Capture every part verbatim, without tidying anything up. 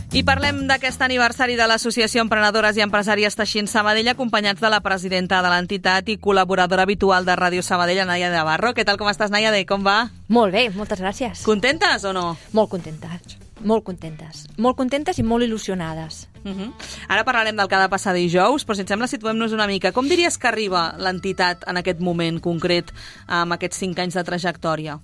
I parlem d'aquest aniversari de l'Associació Emprenedores i Empresàries Teixint Sabadell, acompanyats de la presidenta de l'entitat i col·laboradora habitual de Ràdio Sabadell, Naia de Barro. Què tal, com estàs, Naia? Com va? Molt bé, moltes gràcies. Contentes o no? Molt contentes, molt contentes. Molt contentes i molt il·lusionades. Uh -huh. Ara parlarem del que ha de passar dijous, però si et sembla situem-nos una mica. Com diries que arriba l'entitat en aquest moment concret, amb aquests cinc anys de trajectòria?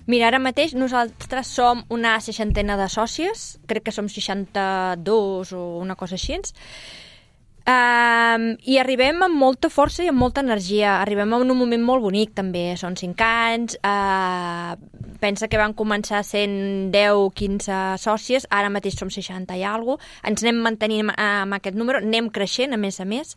Mira, ara mateix nosaltres som una seixantena de sòcies, crec que som seixanta-dos o una cosa així, um, i arribem amb molta força i amb molta energia. Arribem en un moment molt bonic, també. Són cinc anys, uh, pensa que van començar sent deu quinze sòcies, ara mateix som seixanta i alguna cosa, ens anem mantenint amb aquest número, anem creixent, a més a més,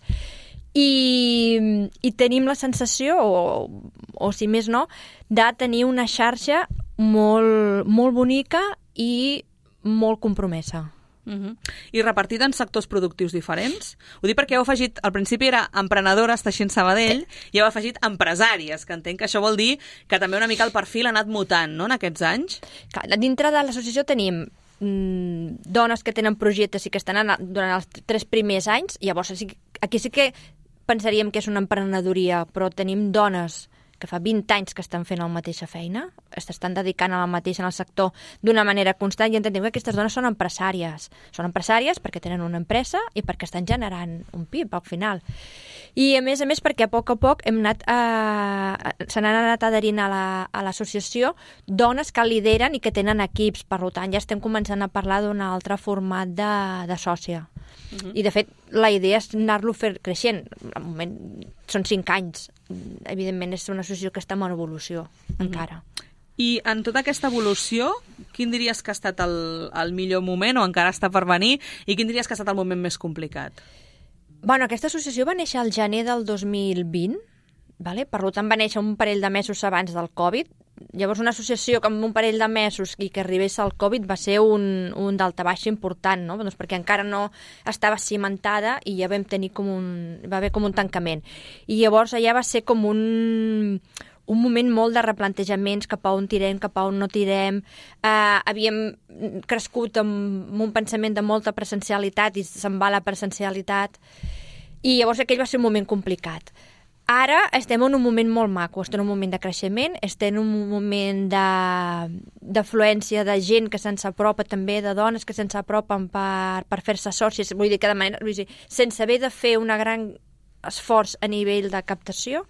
I, i tenim la sensació, o, o si més no, de tenir una xarxa molt, molt bonica i molt compromesa. Uh -huh. I repartida en sectors productius diferents? Ho dic perquè heu afegit, al principi era emprenedores Teixint Sabadell, i heu afegit empresàries, que entenc que això vol dir que també una mica el perfil ha anat mutant, no?, en aquests anys. Clar, dintre de l'associació tenim mm, dones que tenen projectes i que estan anant durant els tres primers anys, i llavors aquí sí que pensaríem que és una emprenedoria, però tenim dones que fa vint anys que estan fent la mateixa feina, s'estan dedicant a la mateixa en el sector d'una manera constant, i entenem que aquestes dones són empresàries. Són empresàries perquè tenen una empresa i perquè estan generant un P I B al final. I a més a més perquè a poc a poc hem anat a... se n'han anat adherint a l'associació dones que lideren i que tenen equips, per tant ja estem començant a parlar d'un altre format de, de sòcia. Uh-huh. I de fet la idea és anar-lo fer creixent. Al moment són cinc anys, evidentment és una associació que està en evolució, uh-huh, encara. I en tota aquesta evolució, quin diries que ha estat el, el millor moment, o encara està per venir, i quin diries que ha estat el moment més complicat? Bueno, aquesta associació va néixer al gener del dos mil vint, vale? Per tant va néixer un parell de mesos abans del Covid. Llavors una associació que amb un parell de mesos i que arribés al Covid va ser un, un daltabaix important, no? Doncs perquè encara no estava cimentada i ja vam tenir com un... va haver com un tancament. I llavors allà va ser com un... un moment molt de replantejaments, cap a on tirem, cap a on no tirem. Uh, havíem crescut amb un pensament de molta presencialitat i se'n va la presencialitat. I llavors aquell va ser un moment complicat. Ara estem en un moment molt maco, estem en un moment de creixement, estem en un moment d'afluència de, de gent que se'ns apropa també, de dones que se'ns apropen per, per fer-se sòcies, vull dir que de manera, vull dir, sense haver de fer un gran esforç a nivell de captació,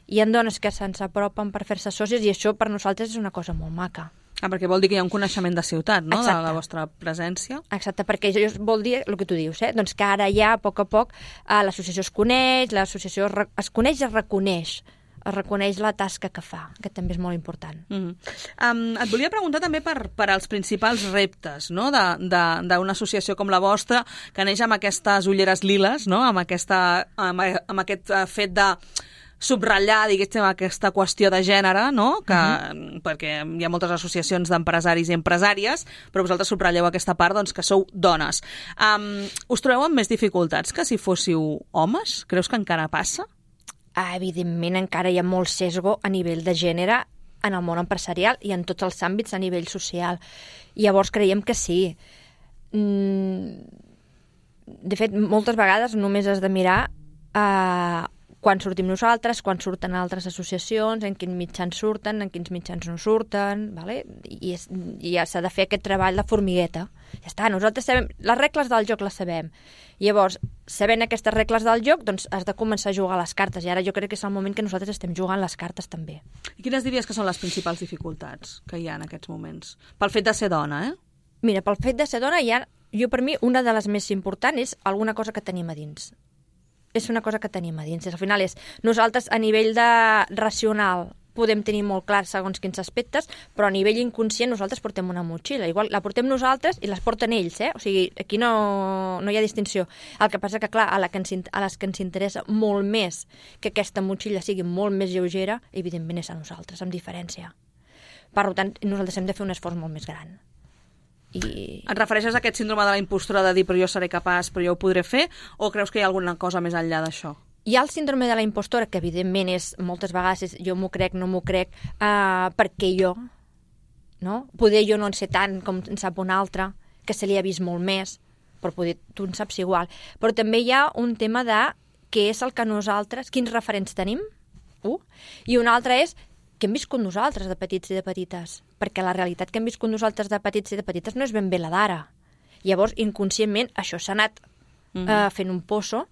hi ha dones que se'ns apropen per fer-se sòcies i això per nosaltres és una cosa molt maca. Ah, perquè vol dir que hi ha un coneixement de ciutat, no?, Exacte, de la vostra presència. Exacte, perquè això vol dir el que tu dius, eh? Doncs que ara ja, a poc a poc, eh, l'associació es coneix, l'associació es coneix i es reconeix, es reconeix la tasca que fa, que també és molt important. Mm-hmm. um, et volia preguntar també per, per als principals reptes, no?, d'una associació com la vostra, que neix amb aquestes ulleres liles, no?, amb, aquesta, amb, amb aquest fet de subratllar, diguéssim, aquesta qüestió de gènere, no?, que, uh-huh, perquè hi ha moltes associacions d'empresaris i empresàries, però vosaltres subratlleu aquesta part, doncs, que sou dones. Um, us trobeu amb més dificultats que si fóssiu homes? Creus que encara passa? Ah, evidentment, encara hi ha molt sesgo a nivell de gènere en el món empresarial i en tots els àmbits a nivell social. I llavors creiem que sí. Mm, de fet, moltes vegades només has de mirar a... Uh, quan sortim nosaltres, quan surten altres associacions, en quins mitjans surten, en quins mitjans no surten, vale? I, és, i ja s'ha de fer aquest treball de formigueta. Ja està, nosaltres sabem, les regles del joc les sabem. Llavors, sabent aquestes regles del joc, doncs has de començar a jugar a les cartes, i ara jo crec que és el moment que nosaltres estem jugant les cartes també. I quines diries que són les principals dificultats que hi ha en aquests moments? Pel fet de ser dona, eh? Mira, pel fet de ser dona, hi ha, jo per mi, una de les més importants és alguna cosa que tenim a dins. És una cosa que tenim a dins. Al final és, nosaltres a nivell de racional podem tenir molt clar segons quins aspectes, però a nivell inconscient nosaltres portem una motxilla. Igual la portem nosaltres i les porten ells, eh? O sigui, aquí no, no hi ha distinció. El que passa que, clar, a, la que ens, a les que ens interessa molt més que aquesta motxilla sigui molt més lleugera, evidentment és a nosaltres, amb diferència. Per tant, nosaltres hem de fer un esforç molt més gran. I... Et refereixes a aquest síndrome de la impostura de dir però jo seré capaç, però jo ho podré fer, o creus que hi ha alguna cosa més enllà d'això? Hi ha el síndrome de la impostora, que evidentment és, moltes vegades és jo m'ho crec, no m'ho crec, uh, perquè jo, no? Poder jo no en sé tant com en sap un altre, que se li ha vist molt més, però poder, tu en saps igual. Però també hi ha un tema de què és el que nosaltres, quins referents tenim, uh, i un altre és què hem viscut nosaltres de petits i de petites, perquè la realitat que hem viscut nosaltres de petits i de petites no és ben bé la d'ara. Llavors, inconscientment, això s'ha anat mm-hmm. eh, fent un poso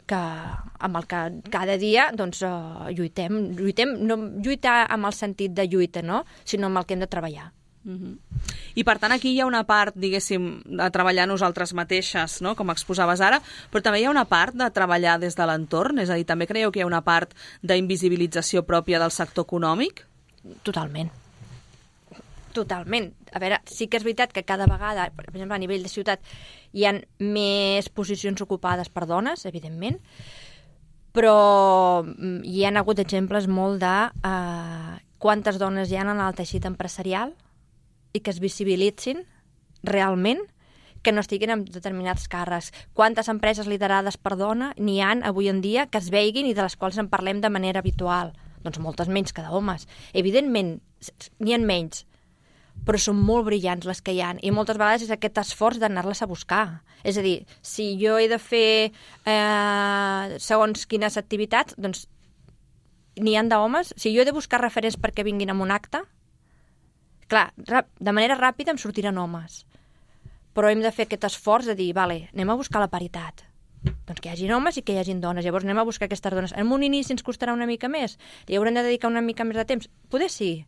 que, amb el que cada dia doncs, eh, lluitem. lluitem. No lluitar amb el sentit de lluita, no? Sinó amb el que hem de treballar. Mm-hmm. I per tant aquí hi ha una part, diguéssim, de treballar nosaltres mateixes, no? Com exposaves ara, però també hi ha una part de treballar des de l'entorn, és a dir, també creieu que hi ha una part d'invisibilització pròpia del sector econòmic? Totalment. Totalment. A veure, sí que és veritat que cada vegada, per exemple, a nivell de ciutat, hi ha més posicions ocupades per dones, evidentment, però hi ha hagut exemples molt de eh, quantes dones hi ha en el teixit empresarial i que es visibilitzin realment, que no estiguin en determinats càrrecs. Quantes empreses liderades per dona n'hi han avui en dia que es veiguin i de les quals en parlem de manera habitual? Doncs moltes menys que d'homes. Evidentment, n'hi ha menys, però són molt brillants les que hi ha, i moltes vegades és aquest esforç d'anar-les a buscar. És a dir, si jo he de fer eh, segons quines activitats, doncs n'hi ha d'homes. Si jo he de buscar referents perquè vinguin a un acte, clar, de manera ràpida em sortiran homes. Però hem de fer aquest esforç de dir, vale, anem a buscar la paritat. Doncs que hi hagi homes i que hi hagi dones. Llavors anem a buscar aquestes dones. En un inici ens costarà una mica més. Hi haurem de dedicar una mica més de temps. Poder sí,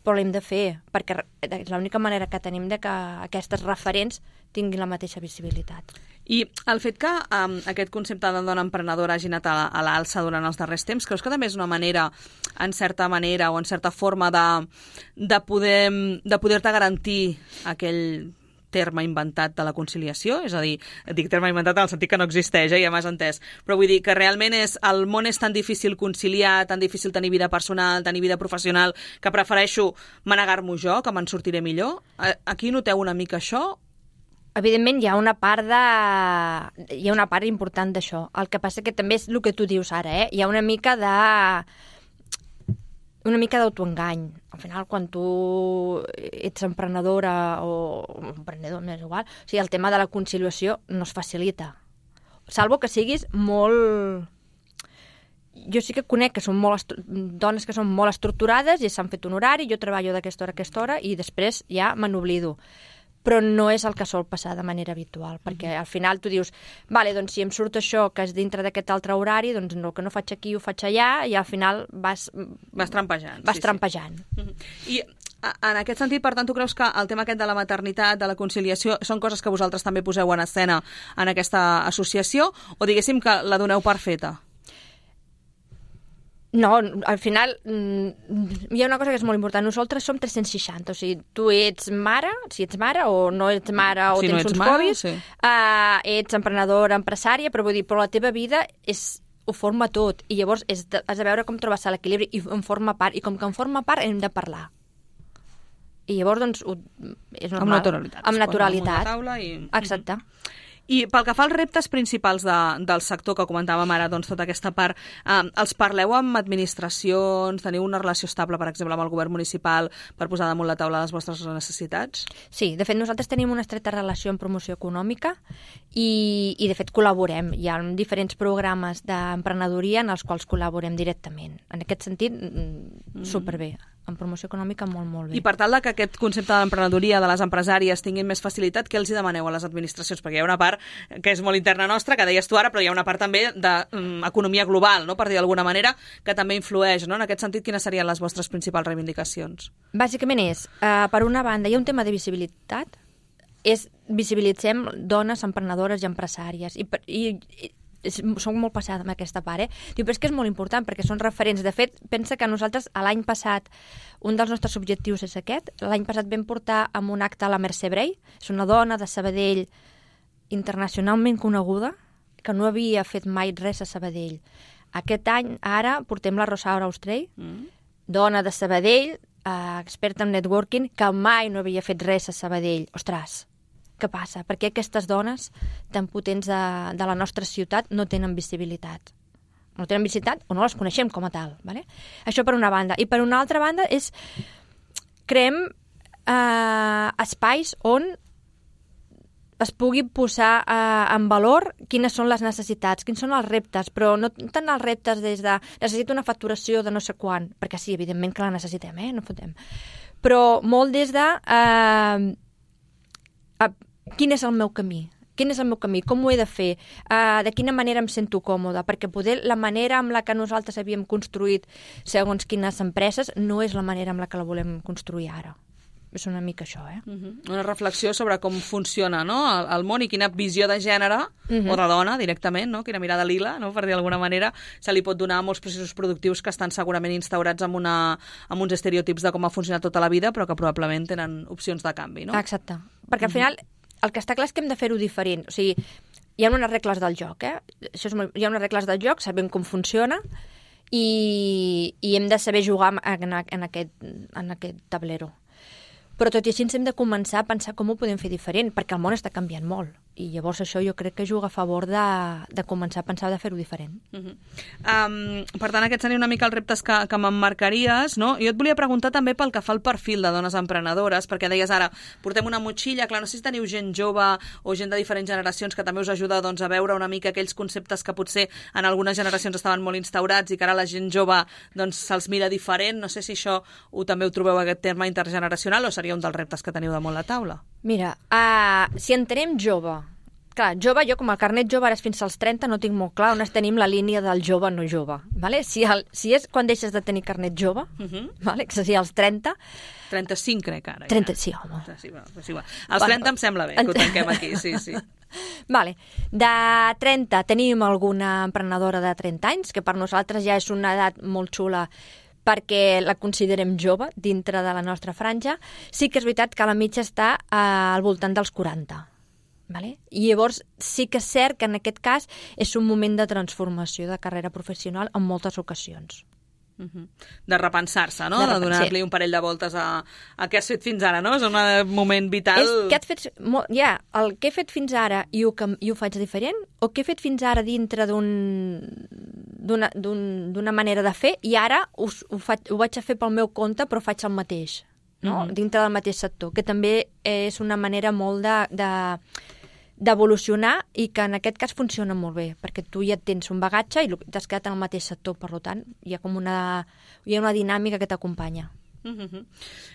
però l'hem de fer, perquè és l'única manera que tenim de que aquestes referents tinguin la mateixa visibilitat. I el fet que um, aquest concepte de dona emprenedora hagi anat a, a l'alça durant els darrers temps, creus que també és una manera, en certa manera o en certa forma de, de poder de poder-te garantir aquell terme inventat de la conciliació? És a dir, dic terme inventat en el sentit que no existeix, eh, ja m'has entès, però vull dir que realment és, el món és tan difícil conciliar, tan difícil tenir vida personal, tenir vida professional, que prefereixo manegar-m'ho jo, que me'n sortiré millor. Aquí noteu una mica això? Evidentment hi ha una part de... hi ha una part important d'això. El que passa que també és el que tu dius ara, eh? Hi ha una mica de... una mica d'autoengany. Al final, quan tu ets emprenedora o emprenedor, m'és igual, o sigui, el tema de la conciliació no es facilita. Salvo que siguis molt... Jo sí que conec que són molt estru... dones que són molt estructurades i s'han fet un horari, jo treballo d'aquesta hora a aquesta hora i després ja me n'oblido. Però no és el que sol passar de manera habitual, perquè al final tu dius, vale, doncs si em surt això que és dintre d'aquest altre horari, doncs no, que no faig aquí ho faig allà, i al final vas... Vas trampejant. Vas sí, trampejant. Sí. I en aquest sentit, per tant, tu creus que el tema aquest de la maternitat, de la conciliació, són coses que vosaltres també poseu en escena en aquesta associació, o diguéssim que la doneu per feta? No, al final hi ha una cosa que és molt important. Nosaltres som tres-cents seixanta, o sigui, tu ets mare, si ets mare, o no ets mare, o si tens no uns mare, hobbies, sí. uh, ets emprenedora, empresària, però vull dir, però la teva vida és, ho forma tot, i llavors és de, has de veure com trobes l'equilibri, i en forma part, i com que en forma part hem de parlar. I llavors, doncs, ho, és normal. Amb naturalitat. Amb naturalitat. Taula i... Exacte. I pel que fa als reptes principals de, del sector, que comentàvem ara, doncs, tota aquesta part, eh, els parleu amb administracions, teniu una relació estable, per exemple, amb el govern municipal per posar damunt la taula les vostres necessitats? Sí, de fet, nosaltres tenim una estreta relació en promoció econòmica i, i de fet, col·laborem. Hi ha diferents programes d'emprenedoria en els quals col·laborem directament. En aquest sentit, mm. superbé. En promoció econòmica molt, molt bé. I per tal de que aquest concepte de l'emprenedoria de les empresàries tinguin més facilitat, què els hi demaneu a les administracions? Perquè hi ha una part que és molt interna nostra, que deies tu ara, però hi ha una part també d'economia global, no? Per dir d'alguna manera, que també influeix, no? En aquest sentit, quines serien les vostres principals reivindicacions? Bàsicament és, uh, per una banda, hi ha un tema de visibilitat, és visibilitzem dones emprenedores i empresàries, i, i, i soc molt passada amb aquesta part, eh? Diu, però és que és molt important, perquè són referents. De fet, pensa que nosaltres, l'any passat, un dels nostres objectius és aquest. L'any passat vam portar amb un acte a la Mercè Bray, és una dona de Sabadell internacionalment coneguda, que no havia fet mai res a Sabadell. Aquest any, ara, portem la Rosaura Austrell, mm. dona de Sabadell, eh, experta en networking, que mai no havia fet res a Sabadell. Ostres, què passa? Per què aquestes dones tan potents de, de la nostra ciutat no tenen visibilitat? No tenen visibilitat o no les coneixem com a tal. Vale? Això per una banda. I per una altra banda és creem eh, espais on es pugui posar eh, en valor quines són les necessitats, quins són els reptes, però no tant els reptes des de necessito una facturació de no sé quan, perquè sí, evidentment que la necessitem, eh? No fotem. Però molt des de eh, eh, quin és el meu camí, quin és el meu camí, com ho he de fer, uh, de quina manera em sento còmoda, perquè poder la manera amb la que nosaltres havíem construït segons quines empreses no és la manera amb la que la volem construir ara. És una mica això, eh? Uh-huh. Una reflexió sobre com funciona, no?, el, el món i quina visió de gènere, uh-huh. o de dona directament, no?, quina mirada lila, no?, per dir d'alguna manera, se li pot donar a molts processos productius que estan segurament instaurats amb, una, amb uns estereotips de com ha funcionat tota la vida, però que probablement tenen opcions de canvi, no? Exacte. Perquè al final el que està clar és que hem de fer-ho diferent. O sigui, hi ha unes regles del joc, eh? Això és molt... Hi ha unes regles del joc, sabem com funciona i, i hem de saber jugar en, en, aquest, en aquest tablero. Però tot i així ens hem de començar a pensar com ho podem fer diferent, perquè el món està canviant molt. I llavors això jo crec que juga a favor de, de començar a pensar de fer-ho diferent. Uh-huh. um, per tant, aquests serien una mica els reptes que, que m'emmarcaries, no? Jo et volia preguntar també pel que fa al perfil de dones emprenedores, perquè deies ara, portem una motxilla, clar, no sé si teniu gent jove o gent de diferents generacions que també us ajuda doncs, a veure una mica aquells conceptes que potser en algunes generacions estaven molt instaurats i que ara la gent jove doncs, se'ls mira diferent. No sé si això ho, també ho trobeu aquest terme intergeneracional o seria un dels reptes que teniu damunt la taula? Mira, uh, si entenem jove, clar, jove, jo com el carnet jove ara és fins als trenta, no tinc molt clar on tenim la línia del jove no jove. Vale? Si, el, si és quan deixes de tenir carnet jove, uh-huh. vale? Que seria als trenta... trenta-cinc crec ara. trenta, ja. Sí, home. Sí, bueno, sí, bueno. Als trenta bueno, em sembla bé que ho tanquem aquí, sí, sí. Vale. De trenta tenim alguna emprenedora de trenta anys, que per nosaltres ja és una edat molt xula perquè la considerem jove dintre de la nostra franja. Sí que és veritat que la mitja està eh, al voltant dels quaranta. Vale? I llavors sí que és cert que en aquest cas és un moment de transformació de carrera professional en moltes ocasions. Uh-huh. De repensar-se, no? De, de, de donar-li sí. un parell de voltes a, a què has fet fins ara, no? És un moment vital. És que has fet, ja, el que he fet fins ara i ho, i ho faig diferent, o què he fet fins ara dintre d'un d'una d'un, manera de fer i ara ho, ho, faig, ho vaig a fer pel meu compte però faig el mateix, no? Uh-huh. Dintre del mateix sector, que també és una manera molt de... de d'evolucionar i que en aquest cas funciona molt bé, perquè tu ja tens un bagatge i t'has quedat en el mateix sector, per tant, hi ha com una, hi ha una dinàmica que t'acompanya. Uh-huh.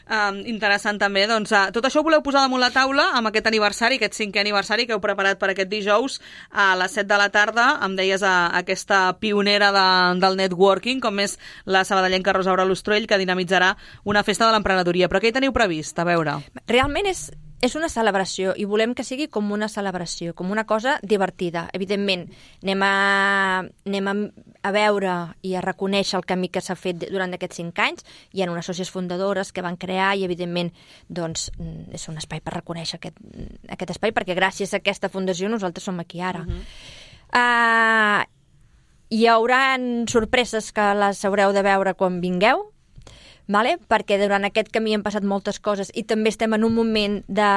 Um, interessant també, doncs uh, tot això ho voleu posar damunt la taula amb aquest aniversari, aquest cinquè aniversari que heu preparat per aquest dijous a les set de la tarda. Em deies a, a aquesta pionera de, del networking, com és la sabadellenca Rosa Aura Lustruell, que dinamitzarà una festa de l'emprenedoria. Però què hi teniu previst? A veure. Realment és És una celebració i volem que sigui com una celebració, com una cosa divertida. Evidentment, anem a, anem a, a veure i a reconèixer el camí que s'ha fet durant aquests cinc anys. Hi ha unes sòcies fundadores que van crear i, evidentment, doncs, és un espai per reconèixer aquest, aquest espai, perquè gràcies a aquesta fundació nosaltres som aquí ara. Uh-huh. uh, hi haurà sorpreses que les haureu de veure quan vingueu, vale? Perquè durant aquest camí han passat moltes coses i també estem en un moment de,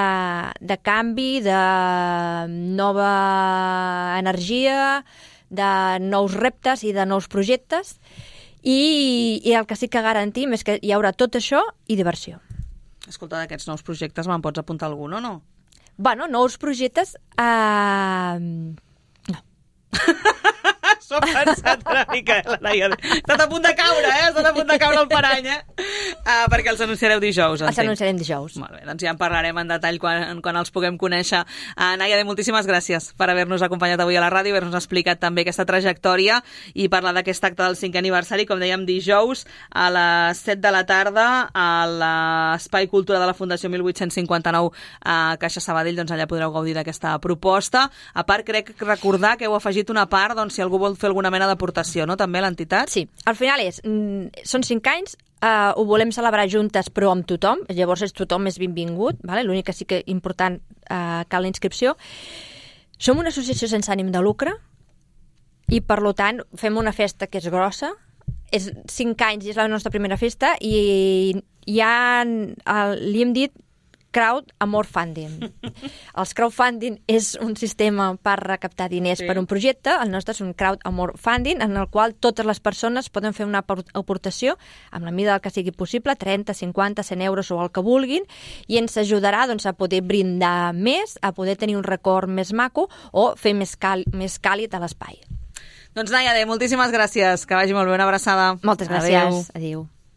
de canvi, de nova energia, de nous reptes i de nous projectes i, i el que sí que garantim és que hi haurà tot això i diversió. Escolta, d'aquests nous projectes me'n pots apuntar algun o no? Bueno, nous projectes... Uh... no. S'ho ha pensat una mica, eh, la Naia. Ha estat a punt de caure, eh? Ha estat a punt de caure el parany, eh? Uh, perquè els anunciareu dijous, entenc. Els anunciarem dijous. Molt bé, doncs ja en parlarem en detall quan, quan els puguem conèixer. Uh, Naia, moltíssimes gràcies per haver-nos acompanyat avui a la ràdio, haver-nos explicat també aquesta trajectòria i parlar d'aquest acte del cinquè aniversari, com dèiem, dijous a les set de la tarda a l'Espai Cultura de la Fundació mil vuit-cents cinquanta-nou a Caixa Sabadell. Doncs allà podreu gaudir d'aquesta proposta. A part, crec recordar que heu afegit una part, doncs, si algú vol fer alguna mena d'aportació, no?, també a l'entitat? Sí, al final és, són cinc anys, uh, ho volem celebrar juntes però amb tothom, llavors és tothom és benvingut, vale? L'únic que sí que important uh, cal la inscripció. Som una associació sense ànim de lucre i per tant fem una festa que és grossa, és cinc anys i és la nostra primera festa i ja uh, li hem dit crowd amor funding. Els crowdfunding és un sistema per recaptar diners sí. per un projecte, el nostre és un crowd amor funding, en el qual totes les persones poden fer una aportació amb la mida del que sigui possible, trenta, cinquanta, cent euros o el que vulguin, i ens ajudarà doncs, a poder brindar més, a poder tenir un record més maco o fer més, cal més càlid a l'espai. Doncs Naiade, moltíssimes gràcies, que vagi molt bé, una abraçada. Moltes gràcies, adéu. adéu.